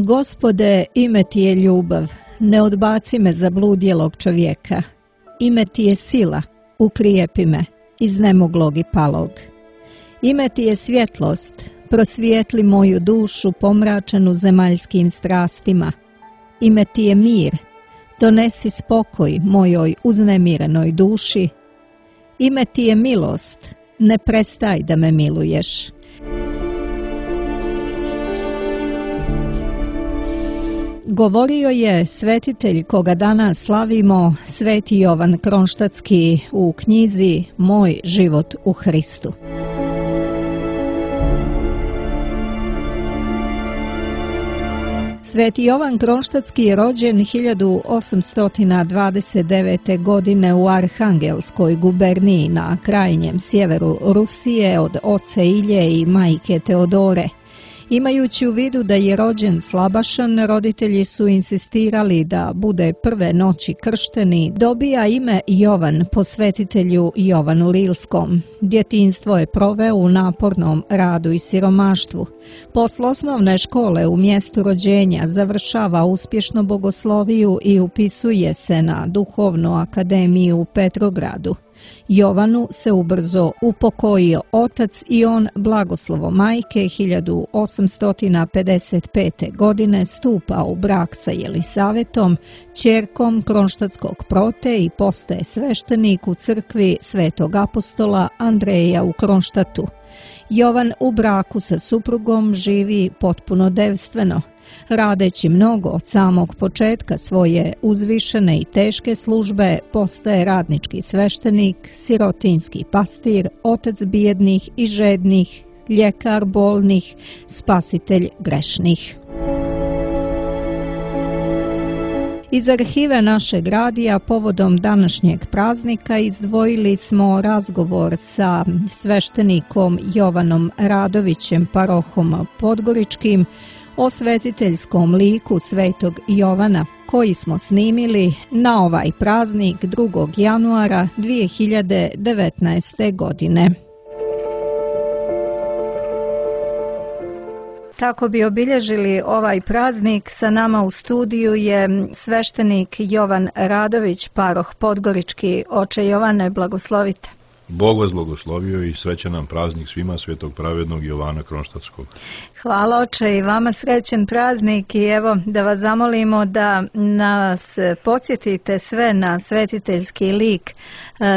Gospode, ime ti je ljubav, ne odbaci me zabludjelog čovjeka. Ime ti je sila, ukrijepi me, iznemoglog i palog. Ime ti je svjetlost, prosvijetli moju dušu pomračenu zemaljskim strastima. Ime ti je mir, donesi spokoj mojoj uznemirenoj duši. Ime ti je milost, ne prestaj da me miluješ. Govorio je svetitelj koga danas slavimo, Sveti Jovan Kronštatski u knjizi Moj život u Hristu. Sveti Jovan Kronštatski je rođen 1829. godine u Arhangelskoj guberniji na krajnjem sjeveru Rusije od oca Ilje i majke Teodore. Imajući u vidu da je rođen slabašan, roditelji su insistirali da bude prve noći kršteni, dobija ime Jovan po svetitelju Jovanu Rilskom. Djetinjstvo je proveo u napornom radu i siromaštvu. Posle osnovne škole u mjestu rođenja završava uspješno bogosloviju i upisuje se na Duhovnu akademiju u Petrogradu. Jovanu se ubrzo upokojio otac i on, blagoslovo majke, 1855. godine stupa u brak sa Jelisavetom, ćerkom Kronštatskog prote i postaje sveštenik u crkvi Svetog apostola Andreja u Kronštatu. Jovan u braku sa suprugom živi potpuno devstveno. Radeći mnogo od samog početka svoje uzvišene i teške službe, postaje radnički sveštenik, sirotinjski pastir, otac bijednih i žednih, ljekar bolnih, spasitelj grešnih. Iz arhive našeg radija povodom današnjeg praznika izdvojili smo razgovor sa sveštenikom Jovanom Radovićem, parohom Podgoričkim, o svetiteljskom liku Svetog Jovana, koji smo snimili na ovaj praznik 2. januara 2019. godine. Kako bi obilježili ovaj praznik, sa nama u studiju je sveštenik Jovan Radović, paroh Podgorički. Oče Jovane, blagoslovite. Bog vas blagoslovio i srećan nam praznik svima Svetog pravednog Jovana Kronštatskog. Hvala oče i vama srećan praznik i evo da vas zamolimo da nas podsjetite sve na svetiteljski lik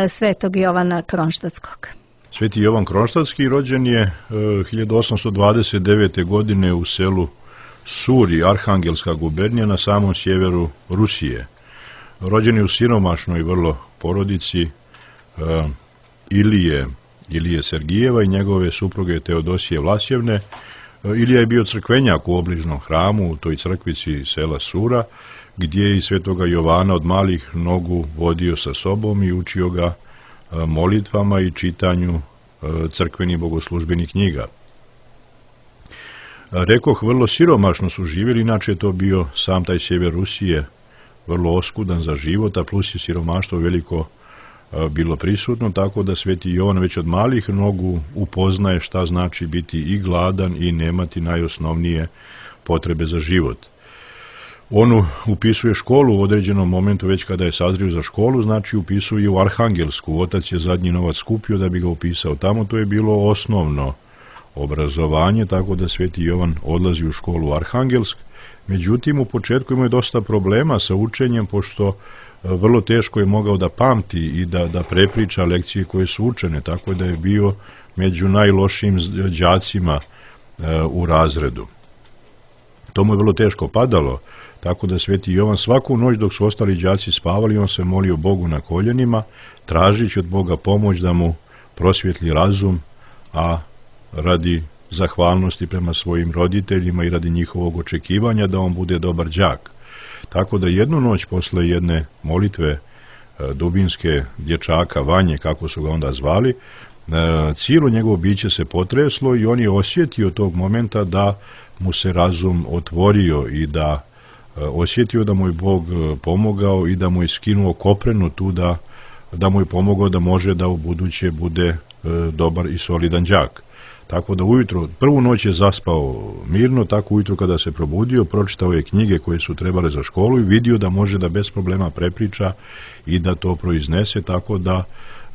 Svetog Jovana Kronštatskog. Sveti Jovan Kronštatski rođen je 1829. godine u selu Suri, Arhangelska gubernija na samom sjeveru Rusije. Rođen je u siromašnoj vrlo porodici Ilije Sergijeva i njegove supruge Teodosije Vlasjevne. Ilija je bio crkvenjak u obližnom hramu u toj crkvici sela Sura, gdje je i svetoga Jovana od malih nogu vodio sa sobom i učio ga molitvama i čitanju crkvenih bogoslužbenih knjiga. Rekoh, vrlo siromašno su živjeli, inače je to bio sam taj sjever Rusije, vrlo oskudan za život, a plus je siromaštvo veliko bilo prisutno, tako da Sveti Jovan već od malih nogu upoznaje šta znači biti i gladan i nemati najosnovnije potrebe za život. On upisuje školu u određenom momentu, već kada je sazrio za školu, znači upisuje u Arhangelsku. Otac je zadnji novac skupio da bi ga upisao tamo, to je bilo osnovno obrazovanje, tako da Sveti Jovan odlazi u školu u Arhangelsk. Međutim, u početku imao je dosta problema sa učenjem, pošto vrlo teško je mogao da pamti i da prepriča lekcije koje su učene, tako da je bio među najlošijim đacima u razredu. To mu je vrlo teško padalo, tako da Sveti Jovan svaku noć dok su ostali đaci spavali, on se molio Bogu na koljenima, tražići od Boga pomoć da mu prosvjetli razum, a radi zahvalnosti prema svojim roditeljima i radi njihovog očekivanja da on bude dobar đak. Tako da jednu noć posle jedne molitve dubinske dječaka Vanje, kako su ga onda zvali, cijelo njegovo biće se potreslo i on je osjetio tog momenta da mu se razum otvorio i da osjetio da mu je Bog pomogao i da mu je skinuo koprenu tu, da mu je pomogao da može da u buduće bude dobar i solidan đak. Tako da ujutro, prvu noć je zaspao mirno, tako ujutro kada se probudio, pročitao je knjige koje su trebale za školu i vidio da može da bez problema prepriča i da to proiznese, tako da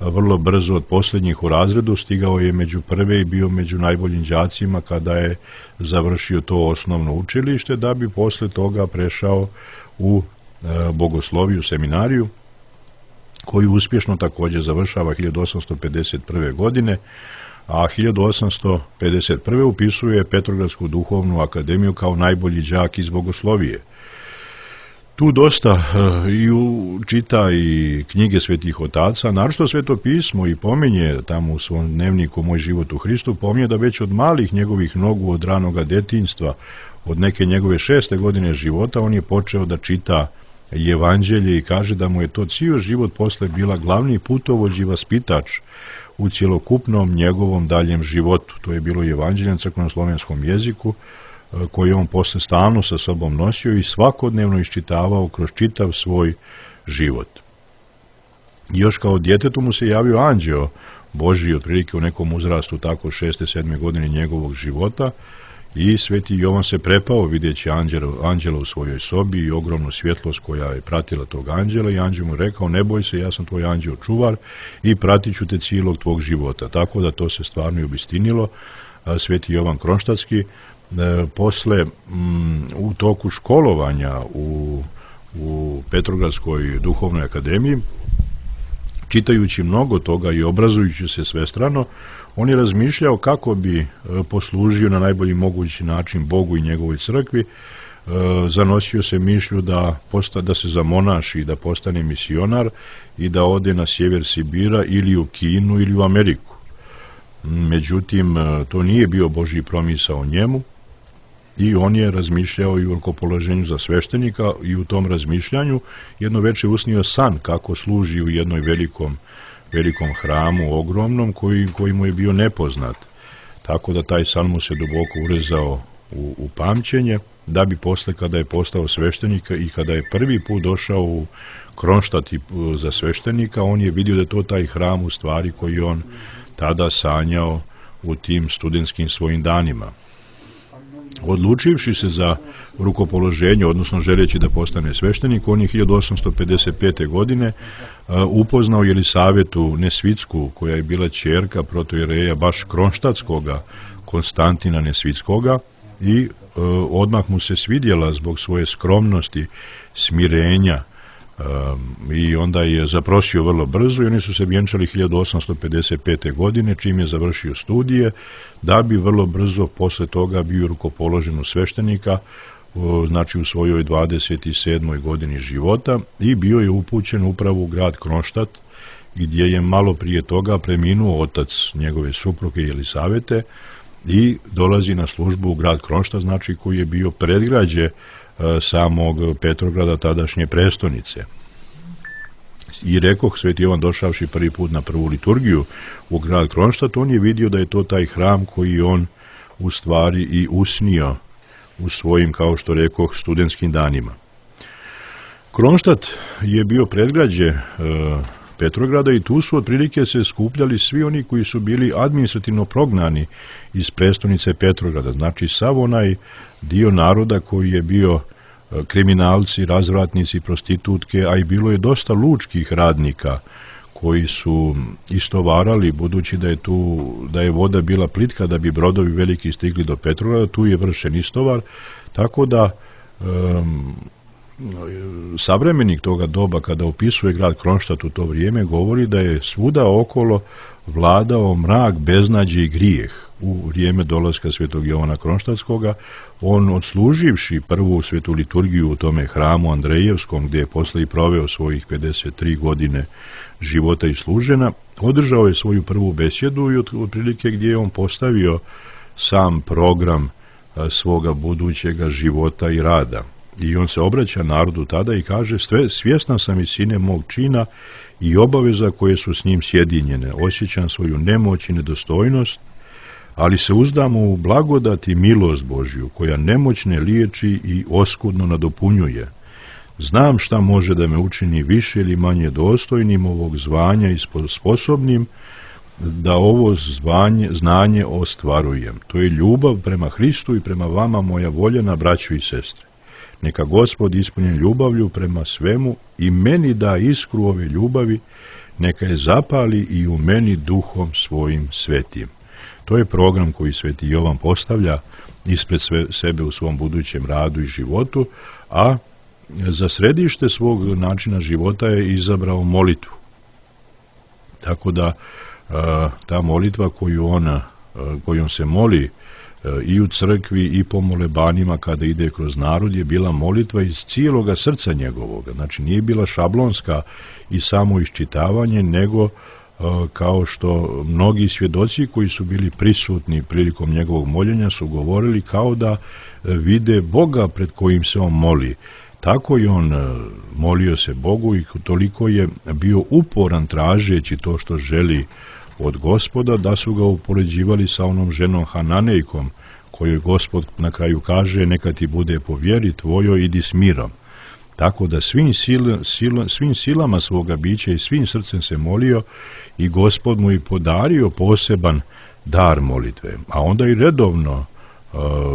vrlo brzo od posljednjih u razredu stigao je među prve i bio među najboljim đacima kada je završio to osnovno učilište, da bi posle toga prešao u bogosloviju seminariju, koju uspješno također završava 1851. godine, a 1851. upisuje Petrogradsku duhovnu akademiju kao najbolji đak iz bogoslovije. Tu dosta čita i knjige svetih otaca, naročito Sveto pismo, i pominje tamo u svom dnevniku Moj život u Hristu, pominje da već od malih njegovih nogu, od ranoga detinjstva, od neke njegove 6. godine života, on je počeo da čita evanđelje i kaže da mu je to cijel život posle bila glavni putovođ i vaspitač u cjelokupnom njegovom daljem životu. To je bilo evanđelje na crkvenoslovenskom jeziku, koji on posle stalno sa sobom nosio i svakodnevno iščitavao kroz čitav svoj život. Još kao djetetu mu se javio anđeo Božji, otprilike u nekom uzrastu, tako 6. 7. godine njegovog života, i sveti Jovan se prepao vidjeći anđela u svojoj sobi i ogromnu svjetlost koja je pratila tog anđela, i anđel mu rekao: ne boj se, ja sam tvoj anđeo čuvar i pratit ću te cijelog tvog života. Tako da to se stvarno i obistinilo. Sveti Jovan Kronštatski posle u toku školovanja u Petrogradskoj duhovnoj akademiji, čitajući mnogo toga i obrazujući se svestrano, on je razmišljao kako bi poslužio na najbolji mogući način Bogu i njegovoj crkvi. Zanosio se mišlju da se zamonaši, da postane misionar i da ode na sjever Sibira ili u Kinu ili u Ameriku. Međutim, to nije bio Božji promisao njemu i on je razmišljao i o rukopoloženju za sveštenika, i u tom razmišljanju jedno veče usnio san kako služi u jednom velikom hramu ogromnom koji mu je bio nepoznat. Tako da taj san mu se duboko urezao u pamćenje, da bi posle, kada je postao sveštenik i kada je prvi put došao u Kronštat za sveštenika, on je vidio da je to taj hram u stvari koji on tada sanjao u tim studentskim svojim danima. Odlučivši se za rukopoloženje, odnosno želeći da postane sveštenik, on je 1855. godine upoznao Jelisavetu Nesvitsku, koja je bila ćerka protoijereja baš kronštatskoga Konstantina Nesvitskoga, i odmah mu se svidjela zbog svoje skromnosti, smirenja, i onda je zaprosio vrlo brzo i oni su se vjenčali 1855. godine, čim je završio studije, da bi vrlo brzo posle toga bio rukopoložen u sveštenika, znači u svojoj 27. godini života, i bio je upućen upravo u grad Kronštat, gdje je malo prije toga preminuo otac njegove supruge Jelisavete, i dolazi na službu u grad Kronštat, znači koji je bio predgrađe samog Petrograda, tadašnje prestonice. I rekoh, sveti Jovan došavši prvi put na prvu liturgiju u grad Kronštat, on je vidio da je to taj hram koji on u stvari i usnio u svojim, kao što rekoh, studentskim danima. Kronštat je bio predgrađe Petrograda i tu su otprilike se skupljali svi oni koji su bili administrativno prognani iz prestonice Petrograda, znači sav onaj dio naroda koji je bio kriminalci, razvratnici, prostitutke, a i bilo je dosta lučkih radnika koji su istovarali, budući da je voda bila plitka da bi brodovi veliki stigli do Petrograda, tu je vršen istovar, tako da savremenik toga doba, kada opisuje grad Kronštat u to vrijeme, govori da je svuda okolo vladao mrak, beznađe i grijeh. U vrijeme dolaska svetog Jovana Kronštatskoga, on odsluživši prvu svetu liturgiju u tome hramu Andrejevskom, gdje je posle i proveo svojih 53 godine života i služena, održao je svoju prvu besjedu i otprilike gdje je on postavio sam program svoga budućega života i rada. I on se obraća narodu tada i kaže: svjesna sam visine mog čina i obaveza koje su s njim sjedinjene, osjećam svoju nemoć i nedostojnost, ali se uzdam u blagodat i milost Božju, koja nemoćne liječi i oskudno nadopunjuje. Znam šta može da me učini više ili manje dostojnim ovog zvanja i sposobnim da ovo znanje ostvarujem. To je ljubav prema Hristu i prema vama, moja voljena braćo i sestre. Neka Gospod ispunjen ljubavlju prema svemu i meni da iskru ove ljubavi, neka je zapali i u meni duhom svojim svetim. To je program koji sveti Jovan postavlja ispred sebe u svom budućem radu i životu, a za središte svog načina života je izabrao molitvu. Tako da ta molitva kojom se moli i u crkvi i po molebanima kada ide kroz narod je bila molitva iz cijeloga srca njegovoga. Znači nije bila šablonska i samo iščitavanje, nego kao što mnogi svjedoci koji su bili prisutni prilikom njegovog moljenja su govorili kao da vide Boga pred kojim se on moli. Tako i on molio se Bogu i toliko je bio uporan tražeći to što želi od Gospoda, da su ga upoređivali sa onom ženom Hananejkom, kojoj Gospod na kraju kaže neka ti bude po vjeri tvojoj, idi s mirom. Tako da svim silama svoga bića i svim srcem se molio i Gospod mu i podario poseban dar molitve. A onda i redovno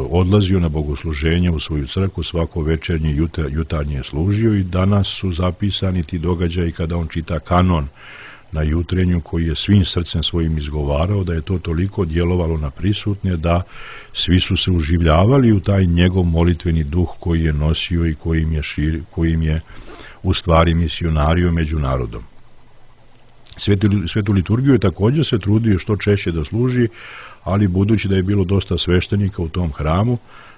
odlazio na bogosluženje u svoju crkvu, svako večernje jutarnje je služio i danas su zapisani ti događaji kada on čita kanon na jutrenju koji je svim srcem svojim izgovarao, da je to toliko djelovalo na prisutne da svi su se uživljavali u taj njegov molitveni duh koji je nosio i kojim je u stvari misionario među narodom. Svetu liturgiju je također se trudio što češće da služi, ali budući da je bilo dosta sveštenika u tom hramu,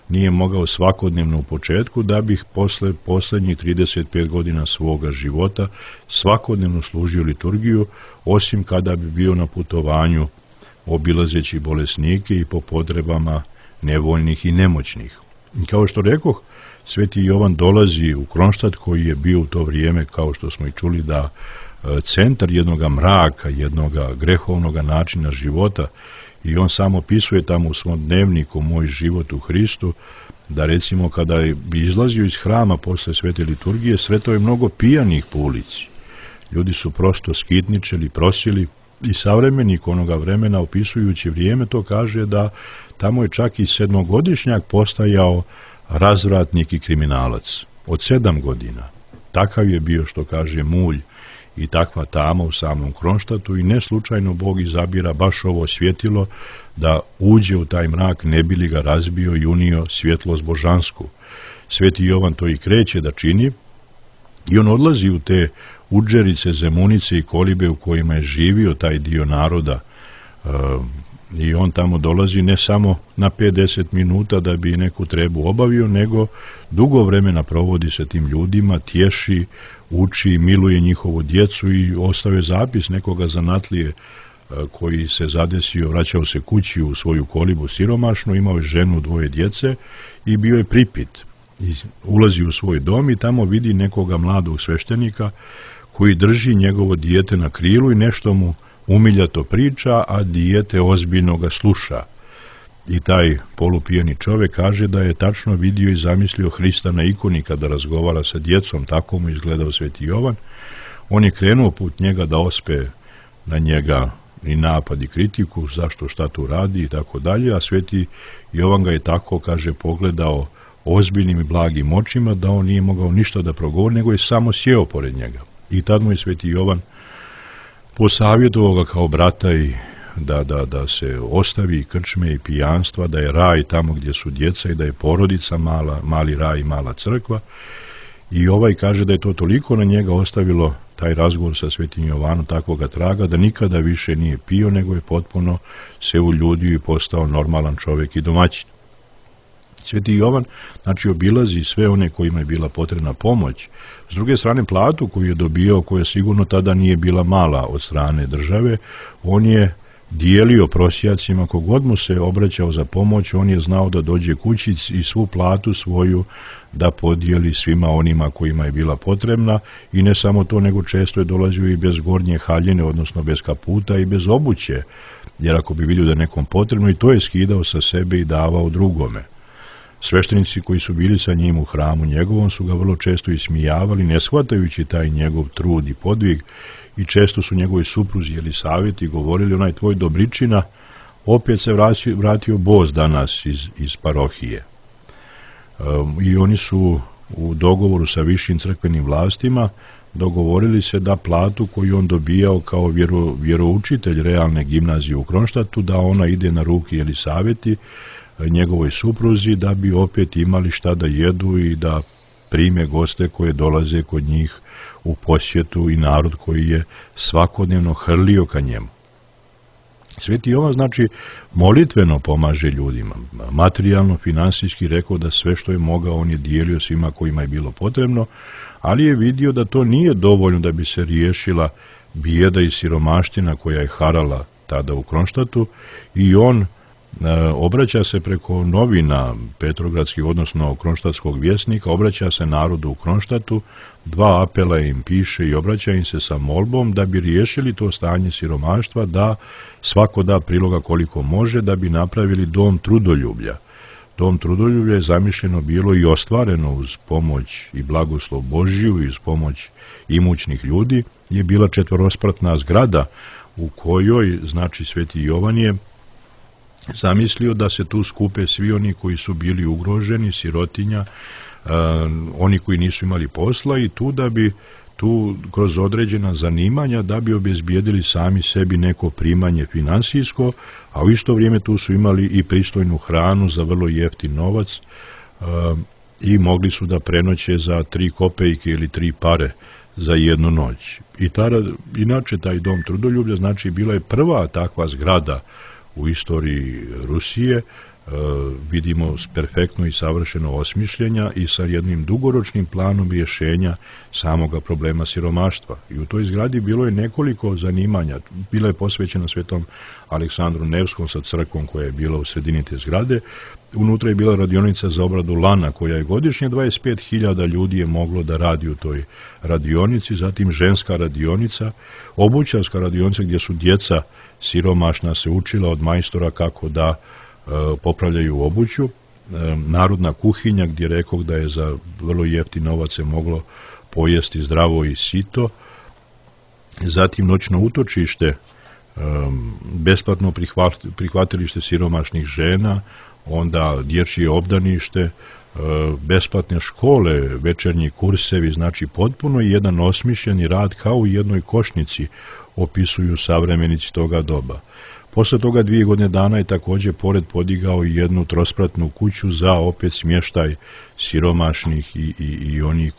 nije mogao svakodnevno u početku, da bih posle posljednjih 35 godina svoga života svakodnevno služio liturgiju, osim kada bi bio na putovanju obilazeći bolesnike i po potrebama nevoljnih i nemoćnih. Kao što rekoh, sveti Jovan dolazi u Kronštat koji je bio u to vrijeme, kao što smo i čuli, da centar jednoga mraka, jednoga grehovnoga načina života, i on samo opisuje tamo u svom dnevniku Moj život u Hristu, da recimo kada bi izlazio iz hrama posle svete liturgije, sretao je mnogo pijanih po ulici. Ljudi su prosto skitničeli, prosili, i savremenik onoga vremena opisujući vrijeme to kaže da tamo je čak i 7-godišnjak postajao razvratnik i kriminalac. Od 7 godina. Takav je bio, što kaže, mulj i takva tama u samom Kronštatu, i ne slučajno Bog izabira baš ovo svjetilo da uđe u taj mrak, ne bi li ga razbio i unio svjetlost božansku. Sveti Jovan to i kreće da čini i on odlazi u te udžerice, zemunice i kolibe u kojima je živio taj dio naroda, i on tamo dolazi ne samo na 5-10 minuta da bi neku trebu obavio, nego dugo vremena provodi sa tim ljudima, tješi, uči, miluje njihovu djecu i ostavio zapis nekoga zanatlije koji se zadesio, vraćao se kući u svoju kolibu siromašnu, imao je ženu, 2 djece i bio je pripit. I ulazi u svoj dom i tamo vidi nekoga mladog sveštenika koji drži njegovo dijete na krilu i nešto mu umiljato priča, a dijete ozbiljno ga sluša. I taj polupijeni čovjek kaže da je tačno vidio i zamislio Hrista na ikoni kada razgovara sa djecom, tako mu izgledao sveti Jovan. On je krenuo put njega da ospe na njega i napad i kritiku, zašto, šta tu radi i tako dalje, a sveti Jovan ga je tako, kaže, pogledao ozbiljnim i blagim očima da on nije mogao ništa da progovori, nego je samo sjeo pored njega. I tad mu je sveti Jovan posavjetovao ga kao brata i da se ostavi krčme i pijanstva, da je raj tamo gdje su djeca i da je porodica mali raj i mala crkva. I ovaj kaže da je to toliko na njega ostavilo, taj razgovor sa svetim Jovanom, takvoga traga, da nikada više nije pio, nego je potpuno se uljudio i postao normalan čovjek i domaćin. Sveti Jovan, znači, obilazi sve one kojima je bila potrebna pomoć. S druge strane, platu koju je dobio, koja sigurno tada nije bila mala od strane države, on je dijelio prosjacima, kogod mu se obraćao za pomoć, on je znao da dođe kući i svu platu svoju da podijeli svima onima kojima je bila potrebna, i ne samo to, nego često je dolazio i bez gornje haljine, odnosno bez kaputa i bez obuće, jer ako bi vidio da je nekom potrebno, i to je skidao sa sebe i davao drugome. Sveštenici koji su bili sa njim u hramu njegovom su ga vrlo često ismijavali, ne shvatajući taj njegov trud i podvig, i često su njegovi supruzi Jelisaveti govorili: onaj tvoj dobričina, opet se vratio bos danas iz parohije. I oni su u dogovoru sa višim crkvenim vlastima dogovorili se da platu koju on dobijao kao vjeroučitelj realne gimnazije u Kronštatu, da ona ide na ruke Jelisaveti, njegovoj supruzi, da bi opet imali šta da jedu i da prime goste koje dolaze kod njih u posjetu i narod koji je svakodnevno hrlio ka njemu. Sveti Jovan, znači, molitveno pomaže ljudima, materijalno, finansijski, rekao da sve što je mogao on je dijelio svima kojima je bilo potrebno, ali je vidio da to nije dovoljno da bi se riješila bijeda i siromaština koja je harala tada u Kronštatu, i on obraća se preko novina petrogradskih, odnosno Kronštatskog vjesnika, obraća se narodu u Kronštatu, 2 apela im piše i obraća im se sa molbom da bi riješili to stanje siromaštva, da svako da priloga koliko može, da bi napravili dom trudoljublja. Dom trudoljublja je zamišljeno bilo i ostvareno uz pomoć i blagoslov Božiju i uz pomoć imućnih ljudi, je bila 4-spratna zgrada u kojoj, znači, Sveti Jovan je zamislio da se tu skupe svi oni koji su bili ugroženi, sirotinja, oni koji nisu imali posla, i tu da bi tu kroz određena zanimanja da bi obezbijedili sami sebi neko primanje finansijsko, a u isto vrijeme tu su imali i pristojnu hranu za vrlo jeftin novac i mogli su da prenoće za 3 kopejke ili 3 pare za jednu noć. I inače taj dom trudoljublja, znači, bila je prva takva zgrada u istoriji Rusije, vidimo perfektno i savršeno osmišljenja i sa jednim dugoročnim planom rješenja samoga problema siromaštva. I u toj zgradi bilo je nekoliko zanimanja. Bila je posvećena Svetom Aleksandru Nevskom sa crkvom koja je bila u sredini te zgrade. Unutra je bila radionica za obradu lana koja je godišnje 25.000 ljudi je moglo da radi u toj radionici, zatim ženska radionica, obućarska radionica gdje su djeca siromašna se učila od majstora kako da popravljaju obuću, narodna kuhinja gdje rekoh da je za vrlo jeftin novac se moglo pojesti zdravo i sito, zatim noćno utočište, besplatno prihvatilište siromašnih žena, onda dječje obdanište, besplatne škole, večernji kursevi, znači potpuno jedan osmišljeni rad kao u jednoj košnici opisuju savremenici toga doba. Posle toga 2 godine dana je također pored podigao i jednu 3-spratnu kuću za opet smještaj siromašnih i onih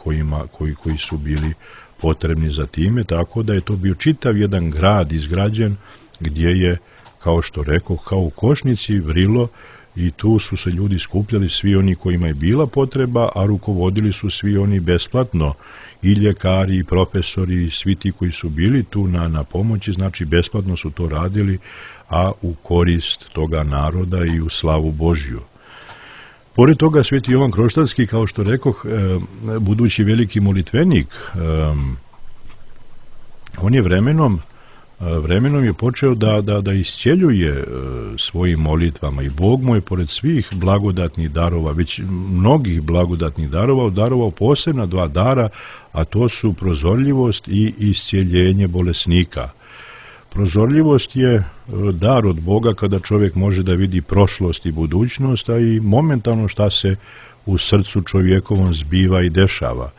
koji su bili potrebni za time, tako da je to bio čitav jedan grad izgrađen gdje je, kao što rekao, kao u košnici vrilo, i tu su se ljudi skupljali, svi oni kojima je bila potreba, a rukovodili su svi oni besplatno, i ljekari, i profesori, i svi ti koji su bili tu na pomoći, znači besplatno su to radili, a u korist toga naroda i u slavu Božju. Pored toga, Sveti Jovan Kroštanski, kao što rekoh, budući veliki molitvenik, on je vremenom je počeo da iscjeljuje svojim molitvama, i Bog mu je pored svih blagodatnih darova, već mnogih blagodatnih darova, darovao posebna 2 dara, a to su prozorljivost i iscjeljenje bolesnika. Prozorljivost je dar od Boga kada čovjek može da vidi prošlost i budućnost, a i momentalno šta se u srcu čovjekovom zbiva i dešava.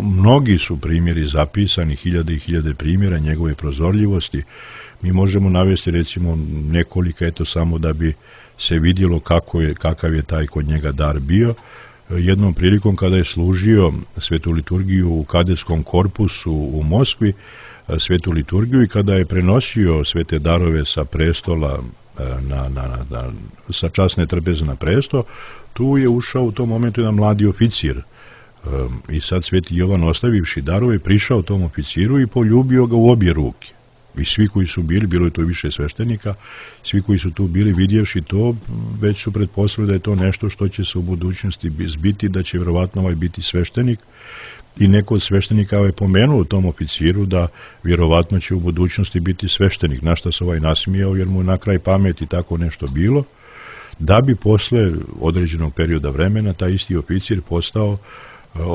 Mnogi su primjeri zapisani, 1000 i 1000 primjera njegove prozorljivosti. Mi možemo navesti recimo nekolika, eto samo da bi se vidjelo kakav je taj kod njega dar bio. Jednom prilikom kada je služio svetu liturgiju u kadetskom korpusu u Moskvi, svetu liturgiju, i kada je prenosio svete darove sa prestola sa časne trpeze na presto, tu je ušao u tom momentu jedan mladi oficir. I sad Sveti Jovan, ostavivši darove, prišao tom oficiru i poljubio ga u obje ruke. I svi koji su bili, bilo je to više sveštenika, svi koji su tu bili vidjevši to, već su pretpostavili da je to nešto što će se u budućnosti zbiti, da će vjerovatno ovaj biti sveštenik. I neko od sveštenika je pomenuo tom oficiru da vjerovatno će u budućnosti biti sveštenik, na što se ovaj nasmijao jer mu na kraj pameti tako nešto bilo. da bi posle određenog perioda vremena taj isti oficir postao,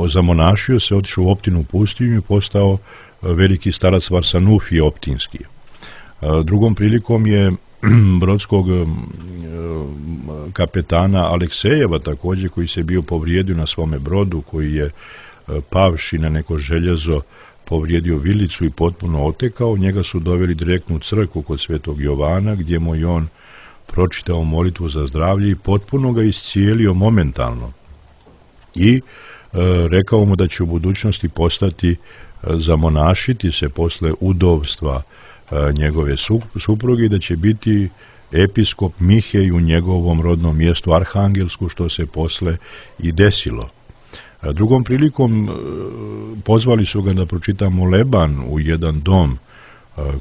zamonašio se, otišao u Optinu pustinju i postao veliki starac Varsanufije Optinski. Drugom prilikom je brodskog kapetana Aleksejeva također, koji se bio povrijedio na svome brodu, koji je pavši na neko željezo povrijedio vilicu i potpuno otekao. Njega su doveli direktno u crkvu kod Svetog Jovana, gdje mu je on pročitao molitvu za zdravlje i potpuno ga iscijelio momentalno. I rekao mu da će u budućnosti postati, zamonašiti se posle udovstva njegove supruge, da će biti episkop Mihej u njegovom rodnom mjestu Arhangelsku, što se posle i desilo. Drugom prilikom pozvali su ga da pročita moleban u jedan dom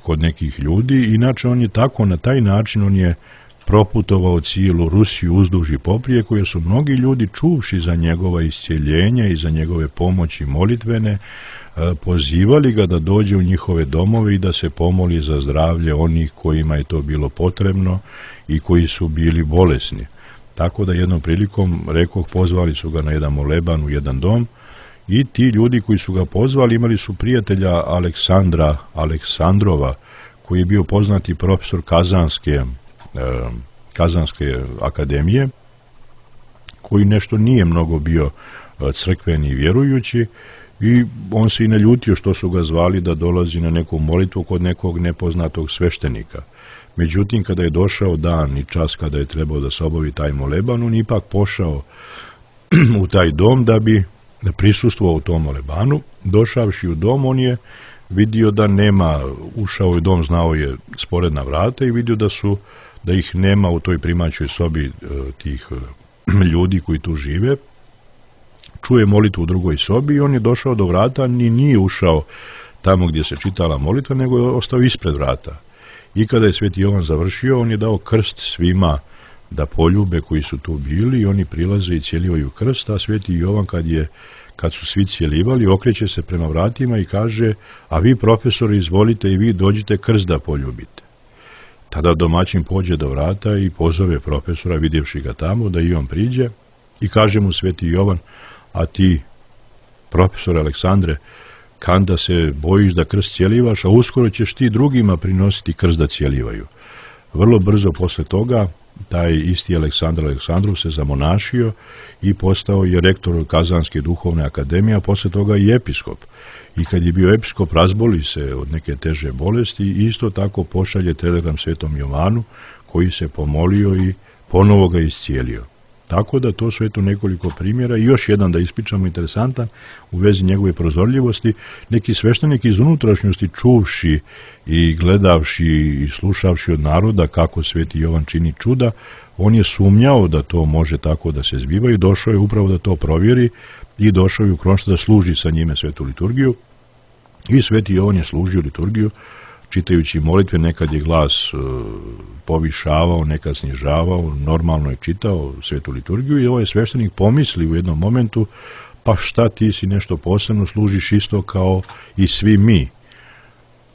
kod nekih ljudi. Inače on je tako, na taj način on je proputovao cijelu Rusiju uzduž i poprijeko, jer su mnogi ljudi, čuvši za njegova iscjeljenja i za njegove pomoći molitvene, pozivali ga da dođe u njihove domove i da se pomoli za zdravlje onih kojima je to bilo potrebno i koji su bili bolesni. Tako da jednom prilikom, rekoh, pozvali su ga na jedan moleban u jedan dom i ti ljudi koji su ga pozvali imali su prijatelja Aleksandra Aleksandrova, koji je bio poznati profesor Kazanske akademije, koji nešto nije mnogo bio crkveni i vjerujući, i on se i naljutio što su ga zvali da dolazi na neku molitvu kod nekog nepoznatog sveštenika. Međutim, kada je došao dan i čas kada je trebao da se obavi taj moleban, on ipak pošao u taj dom da bi prisustvovao u tom molebanu. Došavši u dom, on je vidio da nema, ušao u dom, znao je sporedna vrata i vidio da ih nema u toj primaćoj sobi tih ljudi koji tu žive. Čuje molitvu u drugoj sobi i on je došao do vrata, ni nije ušao tamo gdje se čitala molitva, nego je ostao ispred vrata. I kada je Sveti Jovan završio, on je dao krst svima da poljube koji su tu bili i oni prilaze i cijelivaju krst, a Sveti Jovan kad su svi cijelivali, okreće se prema vratima i kaže: a vi, profesori, izvolite i vi dođite krst da poljubite. Tada domaćin pođe do vrata i pozove profesora, vidjevši ga tamo, da i on priđe, i kaže mu Sveti Jovan: a ti, profesor Aleksandre, kanda se bojiš da krst cijelivaš, a uskoro ćeš ti drugima prinositi krst da cijelivaju. Vrlo brzo posle toga taj isti Aleksandar Aleksandrov se zamonašio i postao je rektor Kazanske duhovne akademije, a posle toga i episkop. I kad je bio episkop, razboli se od neke teže bolesti i isto tako pošalje telegram Svetom Jovanu, koji se pomolio i ponovo ga iscijelio. Tako da to su nekoliko primjera i još jedan da ispričamo interesantan u vezi njegove prozorljivosti. Neki sveštenik iz unutrašnjosti, čuvši i gledavši i slušavši od naroda kako Sveti Jovan čini čuda, on je sumnjao da to može tako da se zbiva i došao je upravo da to provjeri i došao je u Kronštat da služi sa njime svetu liturgiju. I Sveti Jovan je služio liturgiju čitajući molitve, nekad je glas povišavao, nekad snižavao, normalno je čitao svetu liturgiju i ovaj sveštenik pomisli u jednom momentu: pa šta, ti si nešto posebno, služiš isto kao i svi mi.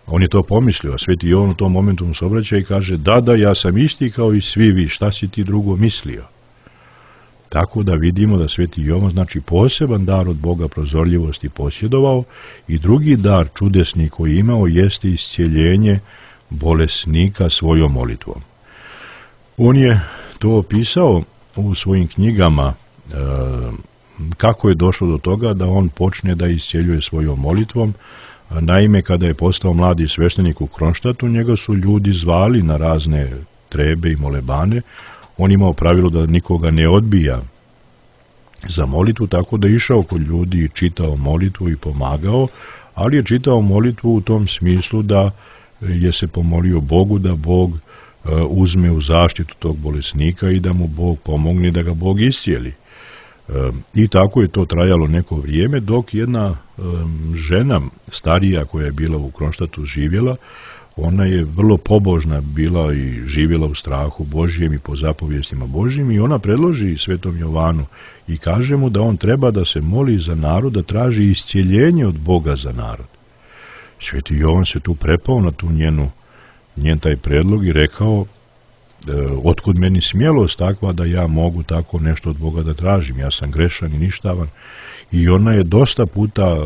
On je to pomislio, a Sveti Jovan u tom momentu mu se obraća i kaže: da, ja sam isti kao i svi vi, šta si ti drugo mislio? Tako da vidimo da Sveti Jovan, znači, poseban dar od Boga prozorljivosti posjedovao, i drugi dar čudesni koji je imao jeste iscijeljenje bolesnika svojom molitvom. On je to opisao u svojim knjigama, kako je došlo do toga da on počne da iscijeljuje svojom molitvom. Naime, kada je postao mladi sveštenik u Kronštatu, njega su ljudi zvali na razne trebe i molebane. On imao pravilo da nikoga ne odbija za molitvu, tako da je išao kod ljudi i čitao molitvu i pomagao, ali je čitao molitvu u tom smislu da je se pomolio Bogu da Bog uzme u zaštitu tog bolesnika i da mu Bog pomogne, da ga Bog iscijeli. I tako je to trajalo neko vrijeme, dok jedna žena starija koja je bila u Kronštatu živjela, ona je vrlo pobožna bila i živjela u strahu Božjem i po zapovjestima Božjim, i ona predloži Svetom Jovanu i kaže mu da on treba da se moli za narod, da traži iscijeljenje od Boga za narod. Sveti Jovan se tu prepao na tu njen taj predlog i rekao: otkud meni smjelost takva da ja mogu tako nešto od Boga da tražim, ja sam grešan i ništavan. I ona je dosta puta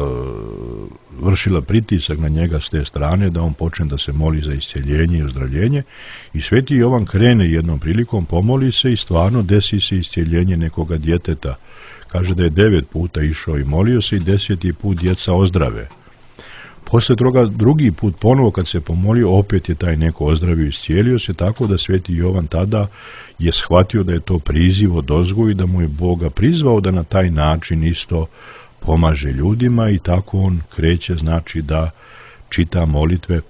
vršila pritisak na njega s te strane da on počne da se moli za isceljenje i ozdravljenje i Sveti Jovan krene jednom prilikom, pomoli se i stvarno desi se isceljenje nekoga djeteta. Kaže da je 9 puta išao i molio se i 10. put djeca ozdrave. Poslije toga drugi put ponovo kad se pomolio opet je taj neko ozdravio i iscijelio se, tako da Sveti Jovan tada je shvatio da je to priziv odozgo i da mu je Boga prizvao da na taj način isto pomaže ljudima i tako on kreće znači da čita molitve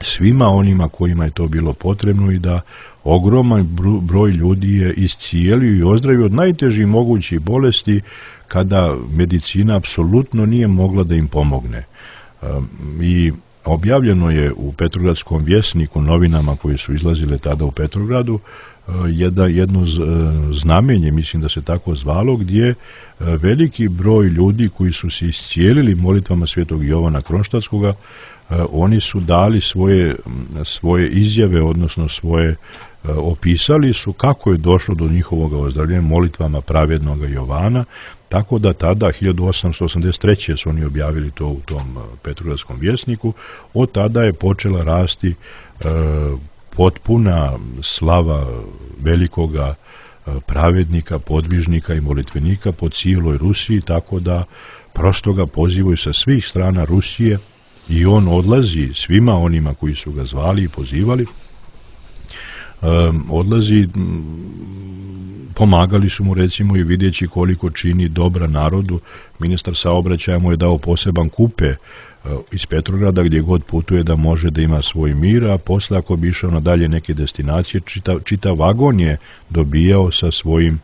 svima onima kojima je to bilo potrebno i da ogroman broj ljudi je iscijelio i ozdravio od najtežih mogućih bolesti kada medicina apsolutno nije mogla da im pomogne. I objavljeno je u Petrogradskom vjesniku, novinama koje su izlazile tada u Petrogradu, jedno znamenje, mislim da se tako zvalo, gdje veliki broj ljudi koji su se iscijelili molitvama Svetog Jovana Kronštatskoga, oni su dali svoje izjave, odnosno svoje opisali su kako je došlo do njihovog ozdravljenja molitvama pravednog Jovana, tako da tada 1883. su oni objavili to u tom Petrogradskom vjesniku. Od tada je počela rasti potpuna slava velikoga pravednika, podvižnika i molitvenika po cijeloj Rusiji, tako da prosto ga pozivaju sa svih strana Rusije i on odlazi svima onima koji su ga zvali i pozivali, odlazi, pomagali su mu recimo i vidjeći koliko čini dobra narodu. Ministar saobraćaja mu je dao poseban kupe iz Petrograda gdje god putuje da može da ima svoj mir, a posle ako bi išao na dalje neke destinacije, čitav vagon je dobijao sa svojim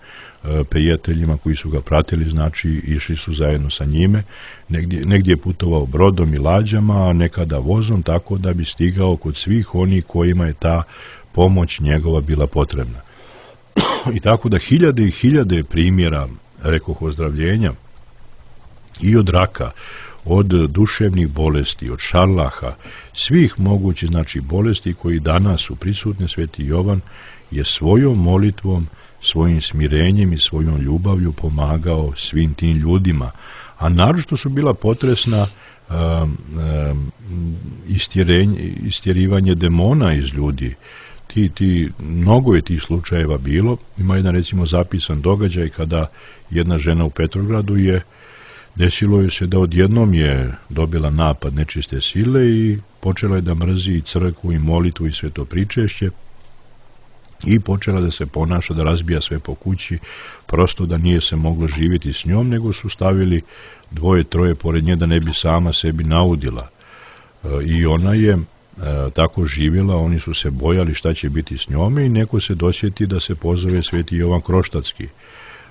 prijateljima koji su ga pratili, znači išli su zajedno sa njime, negdje je putovao brodom i lađama, a nekada vozom, tako da bi stigao kod svih onih kojima je ta pomoć njegova bila potrebna. I tako da hiljade i hiljade primjera, rekoh, ozdravljenja i od raka, od duševnih bolesti, od šarlaha, svih mogućih znači bolesti koji danas su prisutne, Sveti Jovan je svojom molitvom, svojim smirenjem i svojom ljubavlju pomagao svim tim ljudima. A naročito su bila potresna istjerivanje demona iz ljudi. Mnogo je tih slučajeva bilo. Ima jedan recimo zapisan događaj kada jedna žena u Petrogradu desilo je se da odjednom je dobila napad nečiste sile i počela je da mrzi i crkvu i molitvu i sveto pričešće i počela da se ponaša, da razbija sve po kući, prosto da nije se moglo živjeti s njom, nego su stavili 2-3 pored nje da ne bi sama sebi naudila. I ona je tako živjela, oni su se bojali šta će biti s njome i neko se dosjeti da se pozove Sveti Jovan Kronštatski.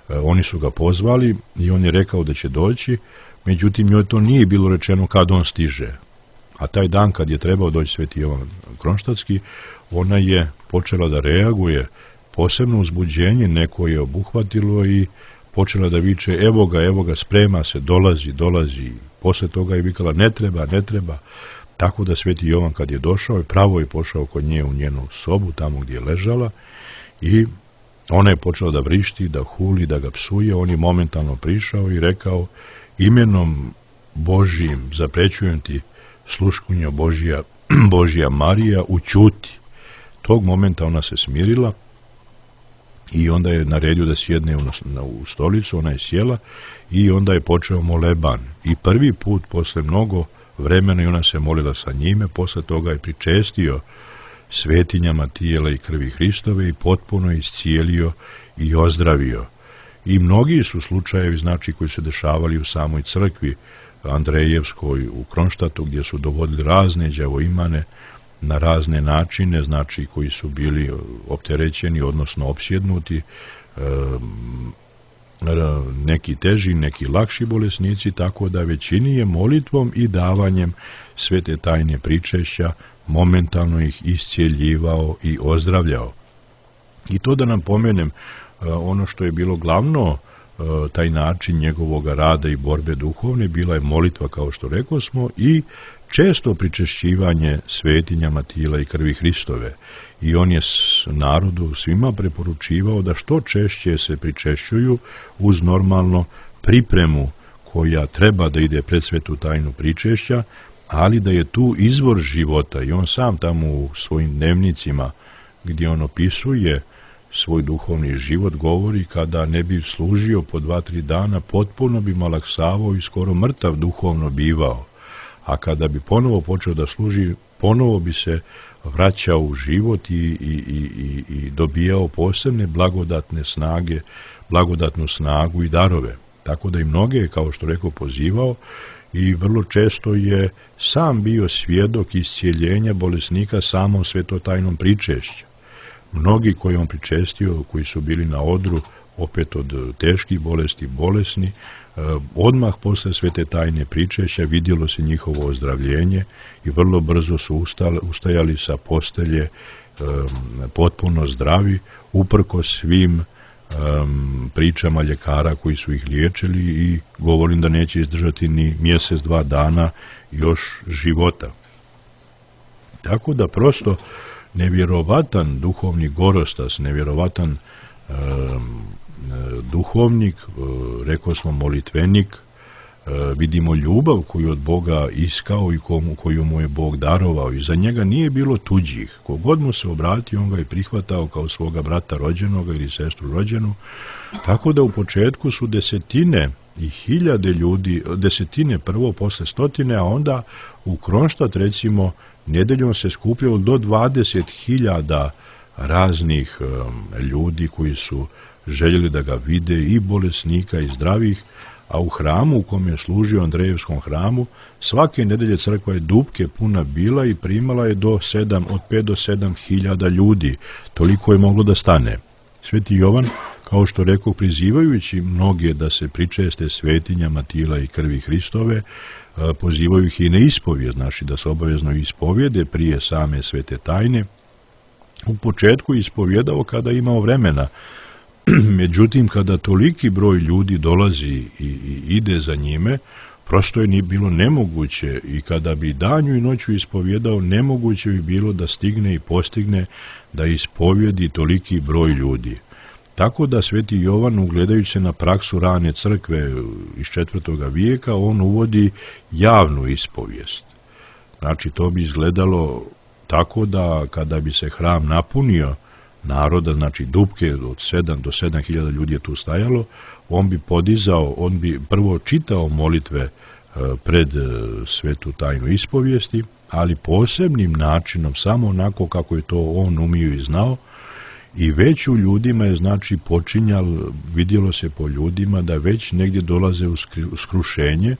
Oni su ga pozvali i on je rekao da će doći, međutim njoj to nije bilo rečeno kad on stiže. A taj dan kad je trebao doći Sveti Jovan Kronštatski, ona je počela da reaguje, posebno uzbuđenje neko je obuhvatilo i počela da viče evo ga, sprema se, dolazi. Posle toga je vikala ne treba. Tako da Sveti Jovan kad je došao, pravo je pošao kod nje u njenu sobu, tamo gdje je ležala, i ona je počela da vrišti, da huli, da ga psuje. On je momentalno prišao i rekao imenom Božijim zaprećujem ti, sluškunjo Božija Marija, ućuti. Tog momenta ona se smirila i onda je naredio da sjedne u stolicu, ona je sjela i onda je počeo moleban. I prvi put posle mnogo vremena i ona se molila sa njime, posle toga je pričestio svetinjama tijela i krvi Hristove i potpuno iscijelio i ozdravio. I mnogi su slučajevi, znači, koji su dešavali u samoj crkvi Andrejevskoj u Kronštatu, gdje su dovodili razne đavoimane na razne načine, znači koji su bili opterećeni, odnosno opsjednuti, neki teži, neki lakši bolesnici, tako da većini je molitvom i davanjem svete tajne pričešća momentalno ih iscijeljivao i ozdravljao. I to da nam pomenem, ono što je bilo glavno, taj način njegovog rada i borbe duhovne, bila je molitva, kao što rekosmo, i često pričešćivanje svetinjama tijela i krvi Hristove i on je narodu svima preporučivao da što češće se pričešćuju uz normalno pripremu koja treba da ide pred svetu tajnu pričešća, ali da je tu izvor života i on sam tamo u svojim dnevnicima gdje on opisuje svoj duhovni život govori kada ne bi služio po 2-3 dana potpuno bi malaksavao i skoro mrtav duhovno bivao, a kada bi ponovo počeo da služi ponovo bi se vraćao u život i dobijao posebne blagodatne snage, blagodatnu snagu i darove. Tako da i mnoge, kao što rekao, pozivao i vrlo često je sam bio svjedok iscijeljenja bolesnika samom svetotajnom pričešću. Mnogi koji on pričestio, koji su bili na odru, opet od teških bolesti, bolesni, odmah posle svete tajne pričešća vidjelo se njihovo ozdravljenje i vrlo brzo su ustajali sa postelje potpuno zdravi, uprko svim pričama ljekara koji su ih liječili i govorim da neće izdržati ni mjesec, 2 dana još života. Tako da prosto nevjerovatan duhovni gorostas, nevjerovatan duhovnik, rekao smo molitvenik, vidimo ljubav koju od Boga iskao i koju mu je Bog darovao i za njega nije bilo tuđih. Kogod mu se obratio, on ga je prihvatao kao svoga brata rođenoga ili sestru rođenu, tako da u početku su desetine i hiljade ljudi, desetine prvo, posle stotine, a onda u Kronštat recimo nedeljom se skupljalo do 20.000 raznih ljudi koji su željeli da ga vide, i bolesnika i zdravih, a u hramu u kom je služio, Andrejevskom hramu, svake nedelje crkva je dupke puna bila i primala je od 5 do 7.000 ljudi. Toliko je moglo da stane. Sveti Jovan, kao što rekao, prizivajući mnoge da se pričeste svetinjama tijela i krvi Hristove, pozivaju ih i na ispovijed, znači da se obavezno ispovjede prije same svete tajne. U početku ispovjedao kada je imao vremena, međutim kada toliki broj ljudi dolazi i ide za njime, prosto je bilo nemoguće, i kada bi danju i noću ispovjedao, nemoguće bi bilo da stigne i postigne da ispovjedi toliki broj ljudi. Tako da sveti Jovan, ugledajući se na praksu rane crkve iz 4. vijeka, on uvodi javnu ispovijest. Znači, to bi izgledalo tako da kada bi se hram napunio naroda, znači dupke od 7 do 7.000 ljudi je tu stajalo, on bi prvo čitao molitve pred svetu tajnu ispovijesti, ali posebnim načinom, samo onako kako je to on umio i znao, i već u ljudima je, znači, vidjelo se po ljudima da već negdje dolaze u skrušenje,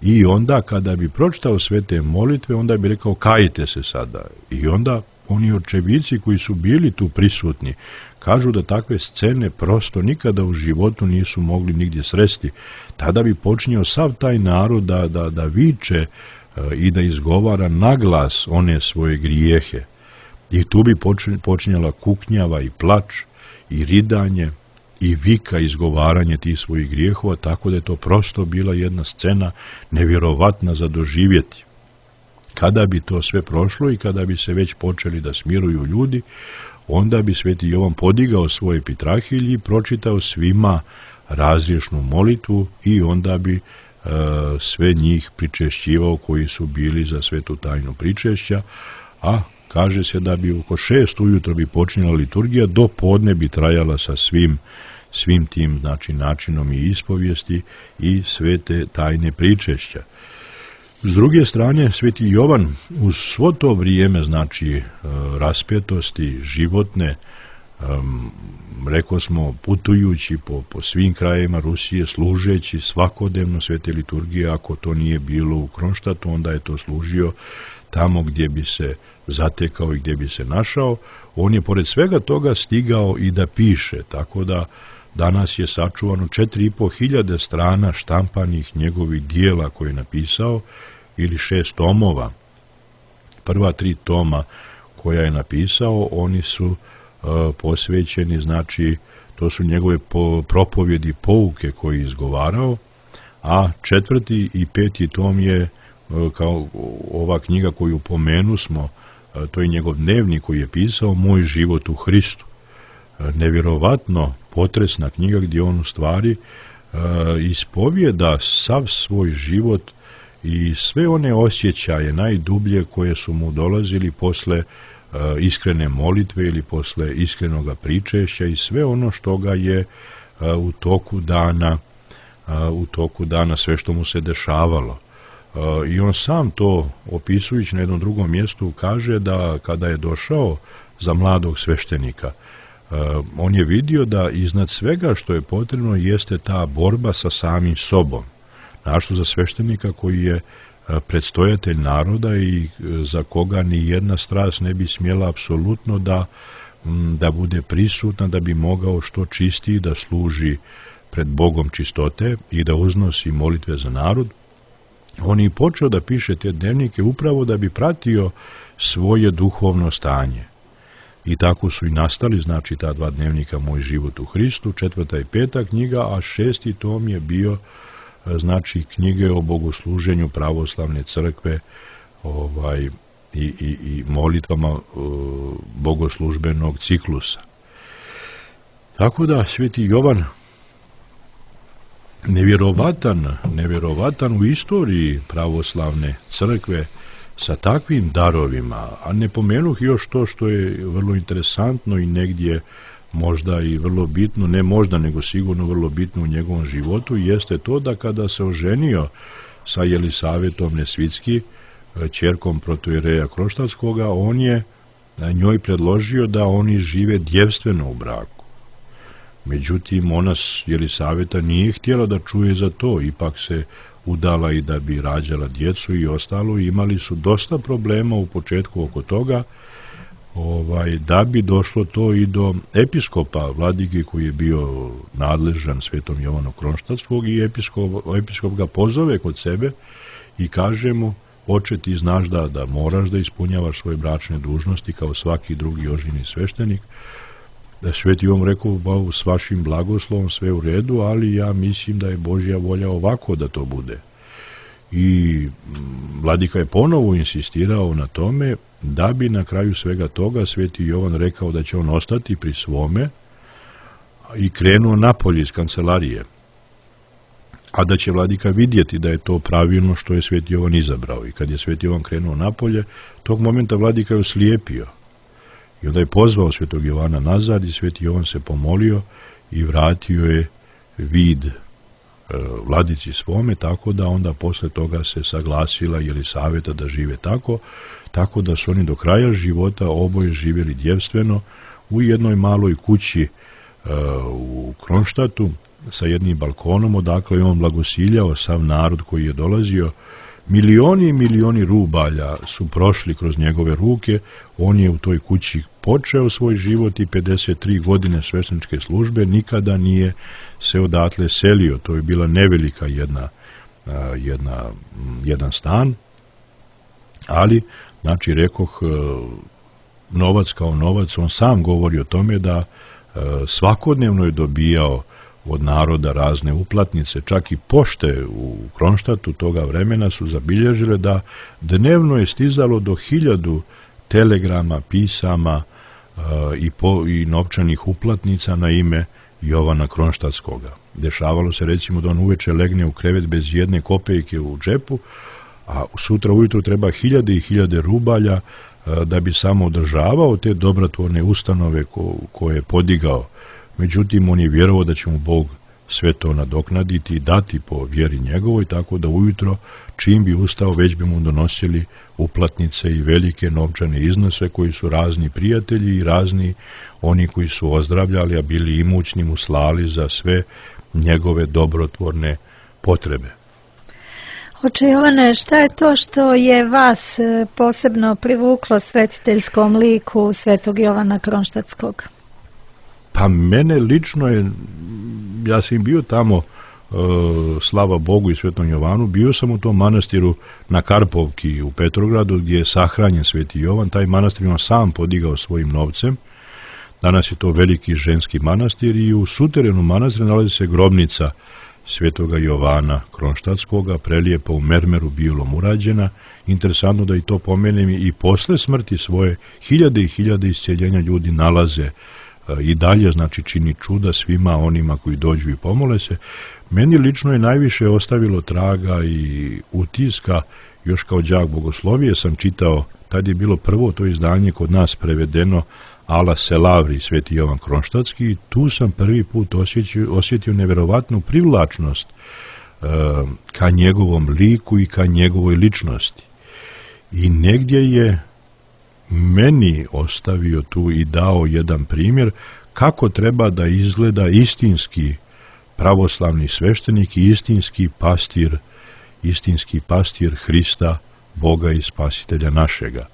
i onda kada bi pročitao sve te molitve, onda bi rekao kajte se sada. I onda oni očevici koji su bili tu prisutni kažu da takve scene prosto nikada u životu nisu mogli nigdje sresti. Tada bi počinjao sav taj narod da viče i da izgovara naglas one svoje grijehe. I tu bi počinjala kuknjava i plač i ridanje i vika, izgovaranje tih svojih grijehova, tako da je to prosto bila jedna scena nevjerovatna za doživjeti. Kada bi to sve prošlo i kada bi se već počeli da smiruju ljudi, onda bi sveti Jovan podigao svoje epitrahilje i pročitao svima razriješnu molitvu i onda bi sve njih pričešćivao koji su bili za svetu tajnu pričešća, a kaže se da bi oko 6 ujutro bi počinjala liturgija, do podne bi trajala sa svim tim, znači, načinom i ispovijesti i svete tajne pričešća. S druge strane, sveti Jovan uz svo to vrijeme, znači, raspetosti životne, rekao smo, putujući po svim krajevima Rusije, služeći svakodnevno svete liturgije, ako to nije bilo u Kronštatu, onda je to služio tamo gdje bi se zatekao i gdje bi se našao. On je pored svega toga stigao i da piše, tako da danas je sačuvano 4.500 strana štampanih njegovih dijela koje je napisao, ili 6 tomova. Prva 3 toma koja je napisao, oni su posvećeni, znači, to su njegove propovjedi, pouke koje je izgovarao, a 4. i 5. tom je kao ova knjiga koju pomenu smo, to je njegov dnevnik koji je pisao Moj život u Hristu. Nevjerovatno potresna knjiga gdje on u stvari ispovijeda sav svoj život i sve one osjećaje najdublje koje su mu dolazili posle iskrene molitve ili posle iskrenoga pričešća i sve ono što ga je u toku dana sve što mu se dešavalo. I on sam to, opisujući na jednom drugom mjestu, kaže da kada je došao za mladog sveštenika, on je vidio da iznad svega što je potrebno jeste ta borba sa samim sobom. Našto za sveštenika koji je predstojatelj naroda i za koga ni jedna strast ne bi smjela apsolutno da bude prisutna, da bi mogao što čistiji da služi pred Bogom čistote i da uznosi molitve za narod. On je počeo da piše te dnevnike upravo da bi pratio svoje duhovno stanje. I tako su i nastali, znači, ta dva dnevnika Moj život u Hristu, 4. i 5. knjiga, a 6. tom je bio, znači, knjige o bogosluženju pravoslavne crkve i molitvama bogoslužbenog ciklusa. Tako da Sveti Jovan nevjerovatan u istoriji pravoslavne crkve sa takvim darovima, a ne pomenuh još to što je vrlo interesantno i negdje možda i vrlo bitno, ne možda nego sigurno vrlo bitno u njegovom životu, jeste to da kada se oženio sa Jelisavetom Nesvitski, ćerkom protoijereja Kronštatskoga, on je njoj predložio da oni žive djevstveno u braku. Međutim, ona Jelisaveta nije htjela da čuje za to, ipak se udala i da bi rađala djecu i ostalo. Imali su dosta problema u početku oko toga, da bi došlo to i do episkopa vladike koji je bio nadležan Svetom Jovanu Kronštatskog i episkop ga pozove kod sebe i kaže mu: oče, ti znaš da moraš da ispunjavaš svoje bračne dužnosti kao svaki drugi oženjeni sveštenik. Da Sveti Jovan rekao: s vašim blagoslovom sve u redu, ali ja mislim da je Božja volja ovako da to bude. I vladika je ponovo insistirao na tome, da bi na kraju svega toga Sveti Jovan rekao da će on ostati pri svome i krenuo napolje iz kancelarije, a da će vladika vidjeti da je to pravilno što je Sveti Jovan izabrao. I kad je Sveti Jovan krenuo napolje, tog momenta vladika je oslijepio. I onda je pozvao Svetog Jovana nazad i Sveti Jovan se pomolio i vratio je vid vladici svome, tako da onda posle toga se saglasila Jelisaveta da žive tako da su oni do kraja života oboje živjeli djevstveno u jednoj maloj kući u Kronštatu sa jednim balkonom, odakle je on blagosiljao sav narod koji je dolazio. Milioni i milioni rubalja su prošli kroz njegove ruke. On je u toj kući počeo svoj život i 53 godine svešteničke službe, nikada nije se odatle selio. To je bila nevelika jedan stan, ali, znači, rekoh, novac kao novac, on sam govori o tome da svakodnevno je dobijao od naroda razne uplatnice, čak i pošte u Kronštatu toga vremena su zabilježile da dnevno je stizalo do 1000 telegrama, pisama i novčanih uplatnica na ime Jovana Kronštatskoga. Dešavalo se, recimo, da on uveče legne u krevet bez jedne kopejke u džepu, a sutra ujutro treba 1000 i 1000 rubalja da bi samo održavao te dobrotvorne ustanove koje je podigao. Međutim, on je vjerovao da će mu Bog sve to nadoknaditi i dati po vjeri njegovoj, tako da ujutro, čim bi ustao, već bi mu donosili uplatnice i velike novčane iznose koji su razni prijatelji i razni oni koji su ozdravljali, a bili imućni, mu slali za sve njegove dobrotvorne potrebe. Oče Jovane, šta je to što je vas posebno privuklo svetiteljskom liku Svetog Jovana Kronštatskog? Pa mene lično ja sam bio tamo, slava Bogu i Svetom Jovanu, bio sam u tom manastiru na Karpovki u Petrogradu gdje je sahranjen Sveti Jovan. Taj manastir on sam podigao svojim novcem. Danas je to veliki ženski manastir i u suterenu manastira nalazi se grobnica svetoga Jovana Kronštatskoga, prelijepo u mermeru bilom urađena. Interesantno da i to pomenem, i posle smrti svoje hiljade i hiljade isceljenja ljudi nalaze i dalje, znači čini čuda svima onima koji dođu i pomole se. Meni lično je najviše ostavilo traga i utiska, još kao đak bogoslovije sam čitao, tad je bilo prvo to izdanje kod nas prevedeno Ala Selavri, sveti Jovan Kronštatski, i tu sam prvi put osjetio neverovatnu privlačnost ka njegovom liku i ka njegovoj ličnosti. I negdje je meni ostavio tu i dao jedan primjer kako treba da izgleda istinski pravoslavni sveštenik i istinski pastir Hrista, Boga i Spasitelja našega.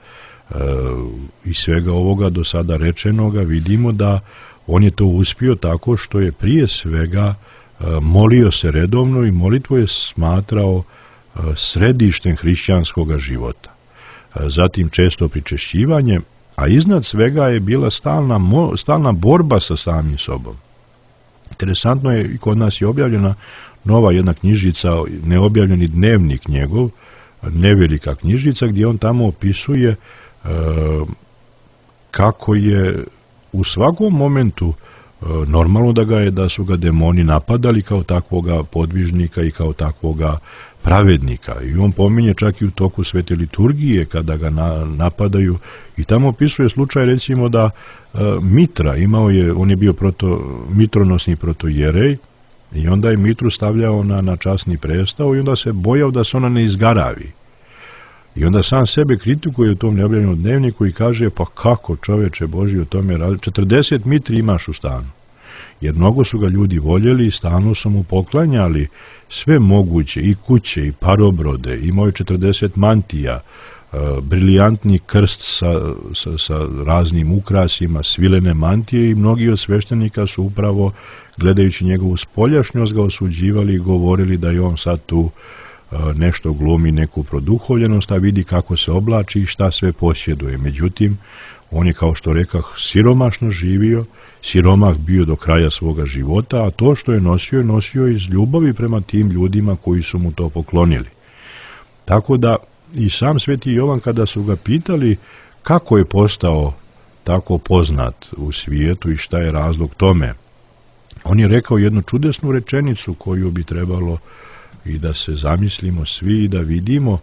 Iz svega ovoga do sada rečenoga vidimo da on je to uspio tako što je prije svega molio se redovno i molitvu je smatrao središtem hrišćanskog života. Zatim često pričešćivanje, a iznad svega je bila stalna borba sa samim sobom. Interesantno je, i kod nas je objavljena nova jedna knjižica, neobjavljeni dnevnik njegov, nevelika knjižica, gdje on tamo opisuje kako je u svakom momentu normalno da su ga demoni napadali kao takvoga podvižnika i kao takvoga pravednika. I on pominje čak i u toku svete liturgije kada ga napadaju, i tamo opisuje slučaj recimo da Mitra on je bio mitronosni protojerej, i onda je Mitru stavljao na časni prestao i onda se bojao da se ona ne izgaravi. I onda sam sebe kritikuje u tom neobjavljenom dnevniku i kaže, pa kako čoveče Božji o tome radi, 40 mitri imaš u stanu. Jer mnogo su ga ljudi voljeli i stalno su mu poklanjali sve moguće, i kuće, i parobrode, imao je 40 mantija, briljantni krst sa raznim ukrasima, svilene mantije, i mnogi od sveštenika su upravo, gledajući njegovu spoljašnjost, ga osuđivali i govorili da je on sad tu nešto glumi, neku produhovljenost, a vidi kako se oblači i šta sve posjeduje. Međutim, on je, kao što rekah, siromašno živio, siromah bio do kraja svoga života, a to što je nosio iz ljubavi prema tim ljudima koji su mu to poklonili. Tako da i sam sveti Jovan, kada su ga pitali kako je postao tako poznat u svijetu i šta je razlog tome, on je rekao jednu čudesnu rečenicu koju bi trebalo i da se zamislimo svi i da vidimo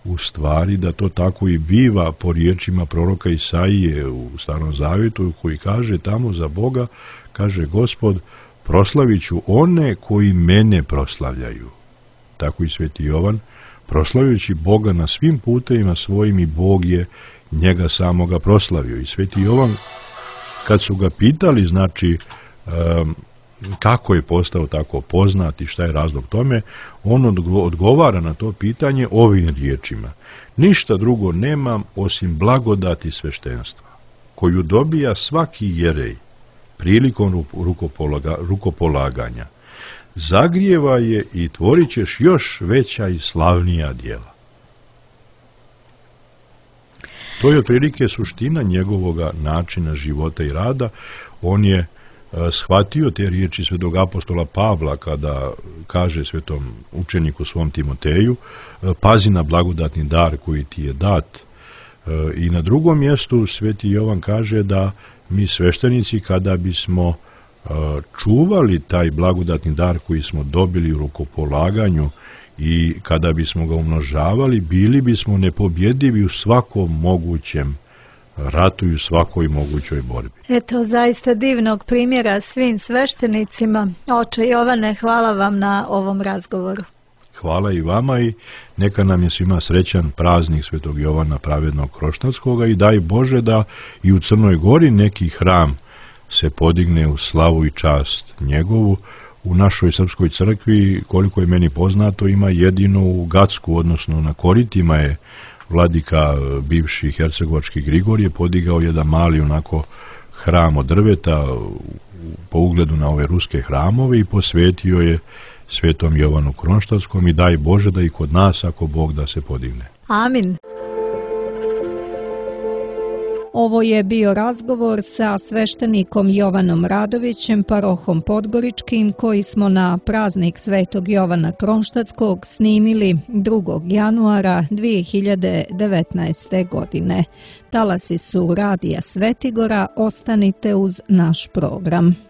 u stvari da to tako i biva po riječima proroka Isaije u Starom Zavjetu, koji kaže tamo za Boga, kaže Gospod, proslavit ću one koji mene proslavljaju. Tako i sveti Jovan, proslavljajući Boga na svim putevima svojim, i Bog je njega samoga proslavio. I sveti Jovan, kad su ga pitali, znači, kako je postao tako poznat i šta je razlog tome, on odgovara na to pitanje ovim riječima: ništa drugo nemam osim blagodati sveštenstva, koju dobija svaki jerej prilikom rukopolaganja. Zagrijeva je i tvorit ćeš još veća i slavnija djela. To je otprilike suština njegovoga načina života i rada. On je shvatio te riječi svetog apostola Pavla kada kaže svetom učeniku svom Timoteju: pazi na blagodatni dar koji ti je dat. I na drugom mjestu sveti Jovan kaže da mi sveštenici, kada bismo čuvali taj blagodatni dar koji smo dobili u rukopolaganju i kada bismo ga umnožavali, bili bismo nepobjedivi u svakom mogućem ratu i u svakoj mogućoj borbi. Eto, zaista divnog primjera svim sveštenicima. Oče Jovane, hvala vam na ovom razgovoru. Hvala i vama, i neka nam je svima srećan praznik svetog Jovana pravednog Kronštatskoga, i daj Bože da i u Crnoj Gori neki hram se podigne u slavu i čast njegovu. U našoj srpskoj crkvi, koliko je meni poznato, ima jedino u Gacku, odnosno na Koritima, je vladika bivši hercegovački Grigorije podigao jedan mali onako hram od drveta po ugledu na ove ruske hramove i posvetio je svetom Jovanu Kronštatskom, i daj Bože da i kod nas, ako Bog da, se podigne. Amin. Ovo je bio razgovor sa sveštenikom Jovanom Radovićem, parohom Podgoričkim, koji smo na praznik Svetog Jovana Kronštatskog snimili 2. januara 2019. godine. Talasi su Radija Svetigora, ostanite uz naš program.